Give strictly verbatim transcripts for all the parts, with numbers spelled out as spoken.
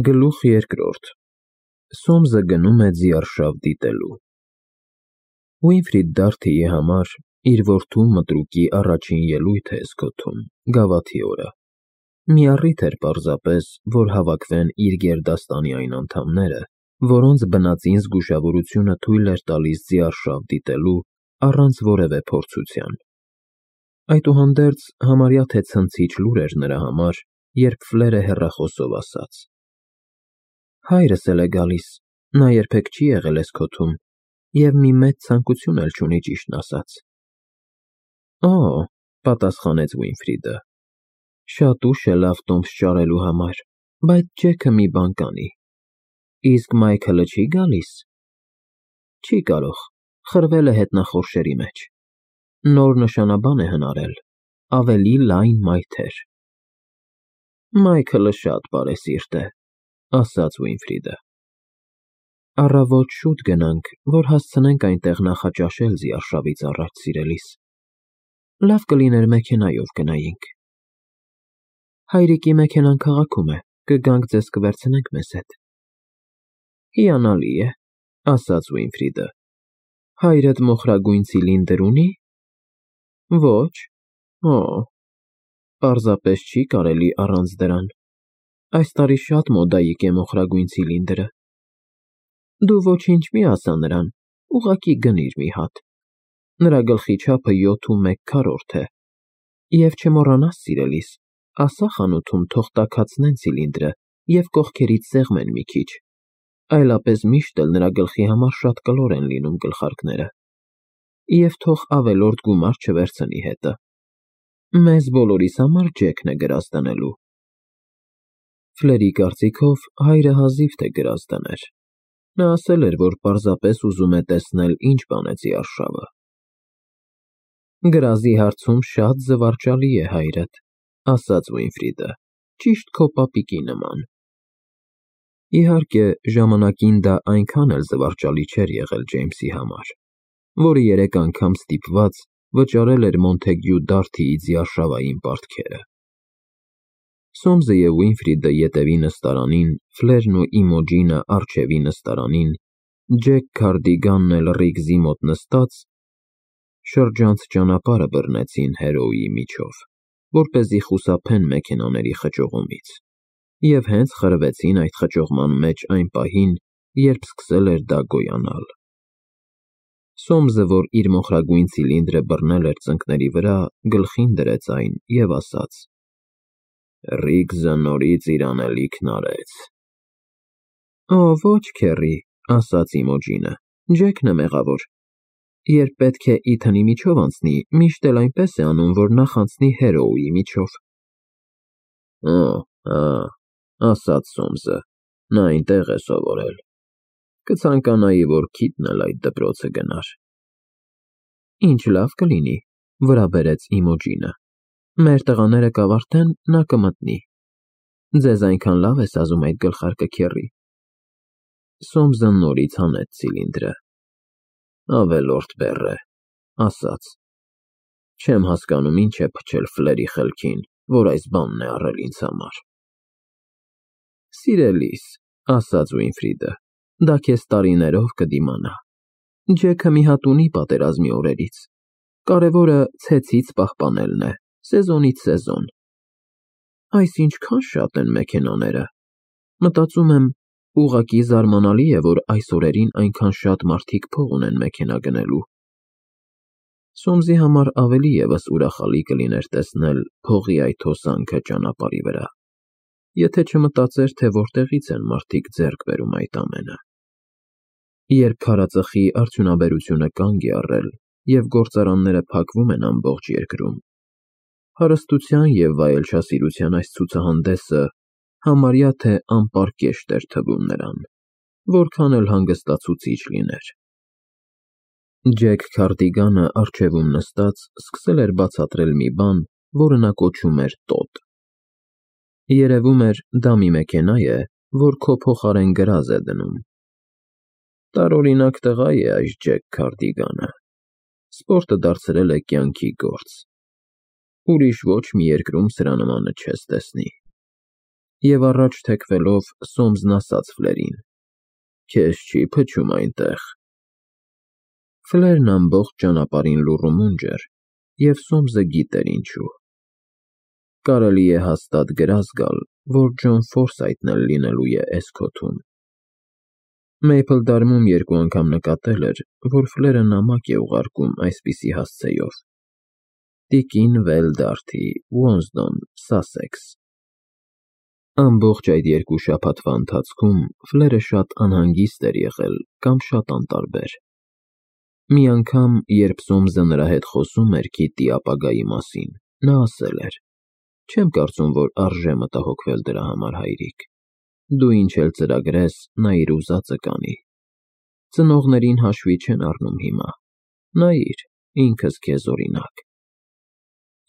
Գլուխ երկրորդ Սոմսը գնում է ձիարշավ դիտելու Ուինֆրիդ Դարթիի համար իր որդու մտրուկի առաջին ելույթը է սկոթում գավաթի օրը։ Մի առիթ էր պարզապես, որ հավաքվեն իր գերդաստանի այն անդամները, որոնց բնածին զգուշավորությունը թույլ էր տալիս ձիարշավ դիտելու առանց որևէ փորձության։ Այդուհանդերձ համարյա թե ցնցիչ լուր էր նրա համար, երբ Ֆլերը հեռախոսով ասաց. Հայրս էլ է գալիս, նա երբեք չի եղել էս քոթում և մի մեծ ցանկություն էլ չունի ճիշտն ասած։ Օ, պատասխանեց Ուինֆրիդը, շատ ուշ է լավ տոմս ճարելու համար, բայց Ջեքը մի բան կանի։ Իսկ Մայքլը չի գալիս։ Չի կարող, խրվել է հետնախորշերի մեջ։ Նոր նշանաբան է հնարել, ավելի լայն մայթեր։ Մայքլը շատ բարեսիրտ է, ասաց Ուինֆրիդը։ Առավոտ շուտ գնանք, որ հասցնենք այնտեղ նախաճաշել ձիարշավից առաջ, սիրելիս։ Լավ կլիներ մեքենայով գնայինք։ Հայրիկի մեքենան քաղաքում է, կգանք ձեզ կվերցնենք մեզ հետ։ Հիանալի է, ասաց Ուինֆրիդը։ Հայրդ մոխրագույն ցիլինդր ունի։ Ոչ, օ, պարզապես չի կարելի առանց դրան։ Այս տարի շատ մոդայիկ է մոխրագույն ցիլինդրը։ Դու ոչինչ մի ասա նրան, ուղղակի գնիր մի հատ։ Նրա գլխի չափը յոթ ու մեկ քառորդ է։ Եվ չմոռանաս, սիրելիս, ասա խանութում թող տաքացնեն ցիլինդրը և կողքերից սեղմեն մի քիչ, այլապես միշտ էլ նրա գլխի համար շատ կլոր են լինում գլխարկները։ Եվ թող ավելորդ գումար չվերցնի հետը։ Մեզ բոլորիս համար Ջեքն է գրազ դնելու։ Ֆլերի կարծիքով հայրը հազիվ թե գրազ դներ։ Նա ասել էր, որ պարզապես ուզում է տեսնել ինչ բան է ձիարշավը։ Գրազի հարցում շատ զվարճալի է հայրդ, ասաց Ուինֆրիդը, ճիշտ քո պապիկի նման։ Իհարկե, ժամանակին դա այնքան էլ զվարճալի չէր եղել Ջեյմսի համար, որը երեք անգամ ստիպված վճարել էր Մոնթեգյու Դարթիի ձիարշավային պարտքերը։ Սոմսը և Ուինֆրիդը ետևի նստարանին, Ֆլերն ու Իմոջինը առջևի նստարանին, Ջեք Քարդիգանն էլ ռիգզի մոտ նստած, շրջանց ճանապարհը բռնեցին Հերոուի միջով, որպեսզի խուսափեն մեքենաների խճողումից, և հենց խրվեցին այդ խճողման մեջ այն պահին, երբ սկսել էր դա գոյանալ։ Սոմսը, որ իր մոխրագույն ցիլինդրը բռնել էր ծնկների վրա, գլխին դրեց այն և ասաց. Ռիգզը նորից իր անելիքն արեց։ Օ, ոչ, քեռի, ասաց Իմոջինը, Ջեքն է մեղավոր։ Երբ պետք է Իթանի միջով անցնի, միշտ էլ այնպես է անում, որ նախ անցնի Հերոուի միջով։ Օ, հա, ասաց Սոմսը, նա այնտեղ է սովորել։ Կցանկանայի, որ Քիթն էլ այդ դպրոցը գնար։ Ինչ լավ կլինի, վրա բերեց Իմոջինը։ Մեր տղաները կավարտեն, նա կմտնի։ Ձեզ այնքան լավ ես ազում այդ գլխարկը, քեռի։ Սոմսը նորից հանեց ցիլինդրը։ Ավելորդ բեռ է, ասաց։ Չեմ հասկանում ինչ է փչել Ֆլերի խելքին, որ այս բանն է առել ինձ համար։ Սիրելիս, ասաց Ուինֆրիդը, դա քեզ տարիներով կդիմանա։ Ջեքը մի հատ ունի պատերազմի օրերից։ Կարևորը ցեցից պահպանելն է, սեզոնից սեզոն։ Այս ինչքան շատ են մեքենաները։ Մտածում եմ, ուղղակի զարմանալի է, որ այս օրերին այնքան շատ մարդիկ փող ունեն մեքենա գնելու։ Սոմսի համար ավելի ևս ուրախալի կլիներ տեսնել փողի այդ հոսանքը ճանապարհի վրա, եթե չմտածեր, թե որտեղից են մարդիկ ձեռք բերում այդ ամենը։ Երբ քարածխի արդյունաբերությունը կանգ է առել և գործարանները փակվում են ամբողջ երկրում, հարստության և վայելչասիրության այս ցուցահանդեսը համարյա թե անպարկեշտ էր թվում նրան, որքան էլ հանգստացուցիչ լիներ։ Ջեք Քարդիգանը առջևում նստած սկսել էր բացատրել մի բան, որը նա կոչում էր տոտ։ Երևում էր, դա մի մեքենա է, որ քո փոխարեն գրազ է դնում։ Տարօրինակ տղա է այս Ջեք Քարդիգանը։ Սպորտը դարձրել է կյանքի գործ։ Ուրիշ ոչ մի երկրում սրա նմանը չես տեսնի։ Եվ առաջ թեքվելով Սոմսն ասաց Ֆլերին. «Քեզ չի փչում այնտեղ»։ Ֆլերն ամբողջ ճանապարհին լուռ ու մունջ էր, և Սոմսը գիտեր ինչու։ Կարելի է հաստատ գրազ գալ, որ Ջոն Ֆորսայթն էլ լինելու է էս քոթում։ Մեյփլդարմում երկու անգամ նկատել էր, որ Ֆլերը նամակ է ուղարկում այսպիսի հասցեով. Տիկին Վել Դարթի, Ուոնսդոն, Սասեքս։ Ամբողջ այդ երկու շաբաթվա ընթացքում Ֆլերը շատ անհանգիստ էր եղել կամ շատ անտարբեր։ Մի անգամ, երբ Սոմսը նրա հետ խոսում էր Քիթի ապագայի մասին, նա ասել էր. «Չեմ կարծում, որ արժե մտահոգվել դրա համար, հայրիկ։ Դու ինչ էլ ծրագրես, նա իր ուզածը կանի։ Ծնողներին հաշվի չեն առնում հիմա։ Նայիր, ինքս քեզ օրինակ»։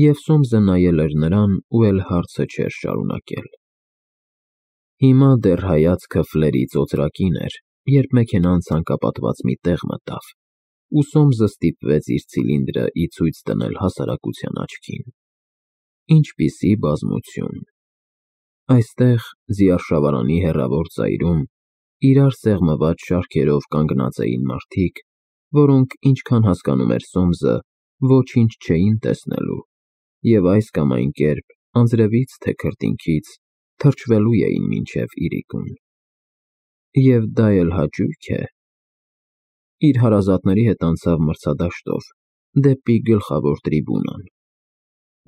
Եվ Սոմսը նայել էր նրան ու էլ հարցը չէր շարունակել։ Հիմա դեռ հայացքը Ֆլերից օծրակին էր, երբ մեքենան ցանկապատված մի տեղ մտավ, ու Սոմսը ստիպվեց իր ցիլինդրը ի ցույց դնել հասարակության աչքին։ Ինչպիսի բազմություն։ Այստեղ, ձիարշավարանի հեռավոր ծայրում, իրար սեղմված շարքերով կանգնած էին մարդիկ, որոնք, ինչքան հասկանում էր Սոմսը, ոչինչ չէին տեսնելու, և այս կամ այն կերպ, անձրևից թե քրտինքից, թրջվելու էին մինչև իրիկուն։ Եվ դա էլ հաճույք է։ Իր հարազատների հետ անցավ մրցադաշտով, դեպի գլխավոր տրիբունան։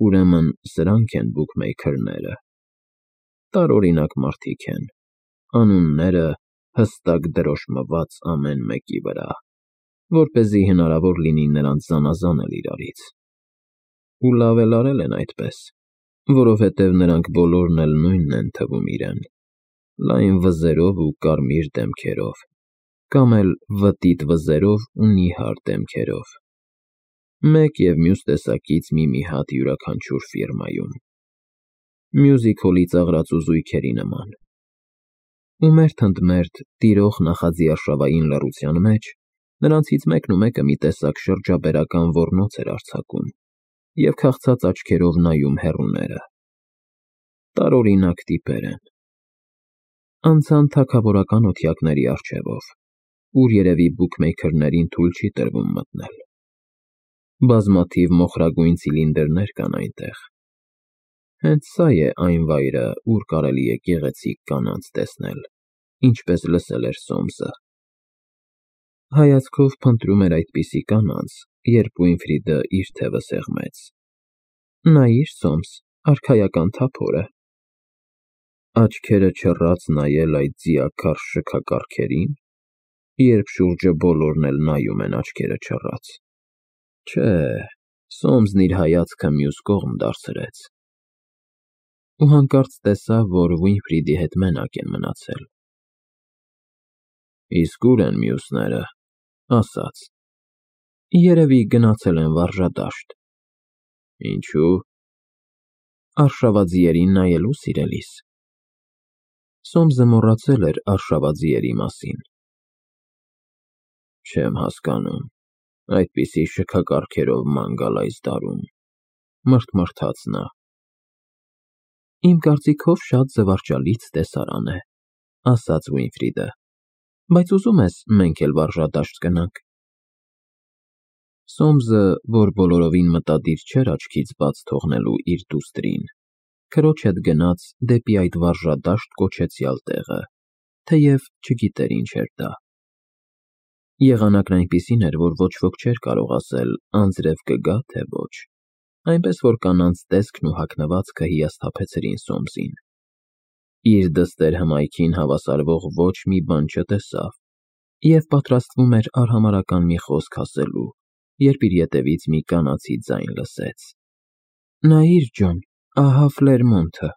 Ուրեմն սրանք են բուքմեյքերները։ Տարօրինակ մարդիկ են, անունները հստակ դրոշմված ամեն մեկի վրա, որպեսզի հնարավոր լինի նրանց զանազանել իրարից։ Ու լավ էլ արել են այդպես, որովհետև նրանք բոլորն էլ նույնն են թվում իրեն՝ լայն վզերով ու կարմիր դեմքերով, կամ էլ վտիտ վզերով ու նիհար դեմքերով, մեկ և մյուս տեսակից մի֊մի հատ յուրաքանչյուր ֆիրմայում, մյուզիք հոլի ծաղրածու զույգերի նման։ Ու մերթ ընդ մերթ տիրող նախաձիարշավային լռության մեջ նրանցից մեկն ու մեկը մի տեսակ շրջաբերական ոռնոց էր արձակում և քաղցած աչքերով նայում հեռուները։ Տարօրինակ տիպեր են։ Անցան թագավորական օթյակների առջևով, ուր երևի բուքմեյքերներին թույլ չի տրվում մտնել։ Բազմաթիվ մոխրագույն ցիլինդրներ կան այնտեղ։ Հենց սա է այն վայրը, ուր կարելի է գեղեցիկ կանանց տեսնել, ինչպես լսել էր Սոմսը։ Հայացքով փնտրում էր այդպիսի կանանց, երբ Ուինֆրիդը իր թևը սեղմեց։ Նայիր, Սոմս, արքայական թափորը։ Աչքերը չռած նայել այդ ձիաքարշ շքակառքերին, երբ շուրջը բոլորն էլ նայում են աչքերը չռած։ Չէ, Սոմսն իր հայացքը մյուս կողմ դարձրեց։ Ու հանկարծ տեսավ, որ Ուինֆրիդի հետ մենակ են մնացել։ Իսկ ո՞ւր են մյուսները, ասաց. Երևի գնացել են վարժադաշտ։ Ինչու՞։ Արշավաձիերին նայելու, սիրելիս։ Սոմսը մոռացել էր արշավաձիերի մասին։ Չեմ հասկանում, այդպիսի շքակառքերով ման գալ այս դարում, մռթմռթաց նա։ Իմ կարծիքով շատ զվարճալից տեսարան է, ասաց Ուինֆրիդը, բայց ուզում ես մենք էլ վարժադաշտ գնանք։ Սոմսը, որ բոլորովին մտադիր չէր աչքից բաց թողնելու իր դուստրին, քրոջ հետ գնաց դեպի այդ վարժադաշտ կոչեցյալ տեղը, թեև չգիտեր ինչ էր դա։ Եղանակն այնպիսին էր, որ ոչ ոք չէր կարող ասել անձրև կգա, թե ոչ, այնպես որ կանանց տեսքն ու հագնվածքը հիասթափեցրին Սոմսին։ Իր դստեր հմայքին հավասարվող ոչ մի բան չտեսավ և պատրաստվում էր արհամարհական մի խոսք ասելու, երբ իր ետևից մի կանացի ձայն լսեց. Նայիր, Ջոն, ահա Ֆլերմոնթը։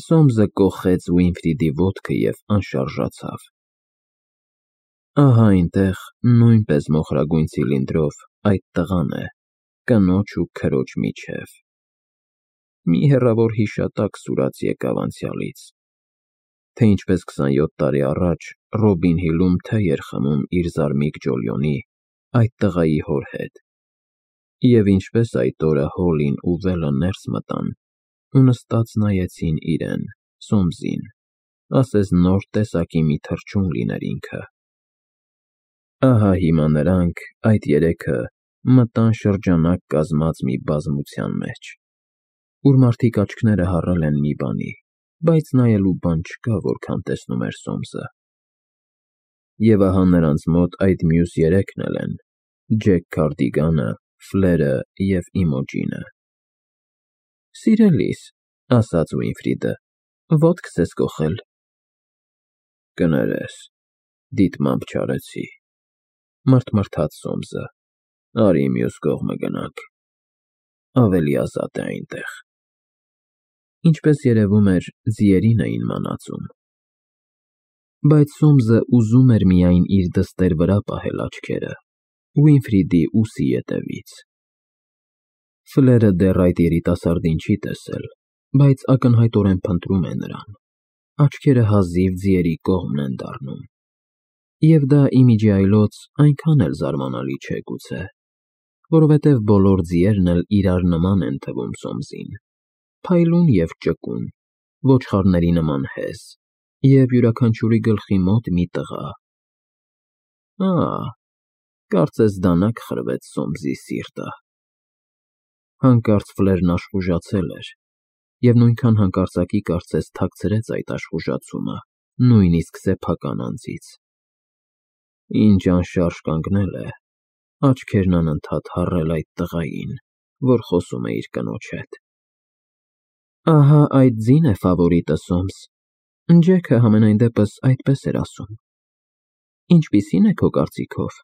Սոմսը կոխեց Ուինֆրիդի ոտքը և անշարժացավ։ Ահա այնտեղ, նույնպես մոխրագույն ցիլինդրով, այդ տղան է, կնոջ ու քրոջ միջև։ Մի հեռավոր հիշատակ սուրաց եկավ անցյալից, թե ինչպես քսանյոթ տարի առաջ Ռոբին Հիլում թե էր խմում իր զարմիկ Ջոլիոնի, այդ տղայի հոր հետ, և ինչպես այդ օրը Հոլին ու Վելը ներս մտան, ու նստած նայեցին իրեն, Սոմսին, ասես նոր տեսակի մի թռչուն լիներ ինքը։ Ահա հիմա նրանք, այդ երեքը, մտան շրջանակ կազմած մի բազմության մեջ, ուր մարդիկ աչքները հառել են մի բանի, բայց նայելու բան չկա, որքան տեսնում էր Սոմսը։ Եվ ահա նրանց մոտ այդ մյուս երեքն էլ են. Ջեք Քարդիգանը, Ֆլերը և Իմոջինը։ Սիրելիս, ասաց Ուինֆրիդը, ոտքս ես կոխել։ Կներես, դիտմամբ չարեցի, մռթմռթաց Սոմսը, արի մյուս կողմը գնանք, ավելի ազատ է այնտեղ։ Ինչպես երևում էր, ձիերին էին մանածում։ Բայց Սոմսը ուզում էր միայն իր դստեր վրա պահել աչքերը, Ուինֆրիդի ուսի ետևից։ Ֆլերը դեռ այդ երիտասարդին չի տեսել, բայց ակնհայտորեն փնտրում է նրան, աչքերը հազիվ ձիերի կողմն են դառնում։ Եվ դա ի միջի այլոց այնքան էլ զարմանալի չէ գուցե, որովհետև բոլոր ձիերն էլ իրար նման են թվում Սոմսին, փայլուն և ճկուն, ոչխարների նման հեզ, և յուրաքանչյուրի գլխի մոտ մի տղա։ Ա՜, կարծես դանակ խրվեց Սոմսի սիրտը։ Հանկարծ Ֆլերն աշխուժացել էր, և նույնքան հանկարծակի կարծես թաքցրեց այդ աշխուժացումը, նույնիսկ սեփական անձից։ Ինչ անշարժ կանգնել է, աչքերն անընդհատ հառել այդ տղային, որ խոսում է իր կնոջ հետ։ Ահա այդ ձին է ֆավորիտը, Սոմս, Ջեքը համենայն դեպս այդպես էր ասում։ Ինչպիսի՞ն է քո կարծիքով։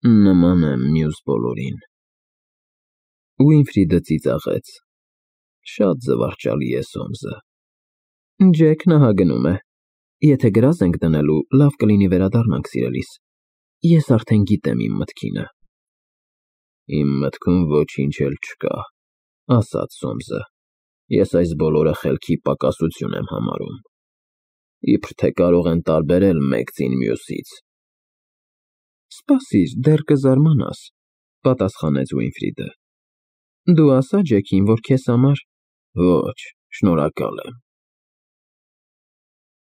Նման է մյուս բոլորին։ Ուինֆրիդը ծիծաղեց։ Շատ զվարճալի է Սոմսը։ Ջեքն ահա գնում է։ Եթե գրազ ենք դնելու, լավ կլինի վերադառնանք, սիրելիս։ Ես արդեն գիտեմ իմ մտքինը։ Իմ մտքում ոչինչ էլ չկա, ասաց Սոմսը։ Ես այս բոլորը խելքի պակասություն եմ համարում։ Իբր թե կարող են տարբերել մեկ ձին մյուսից։ Սպասիր, դեռ կզարմանաս, պատասխանեց Ուինֆրիդը։ Դու ասա Ջեքին, որ քեզ համար… Ոչ, շնորհակալ եմ։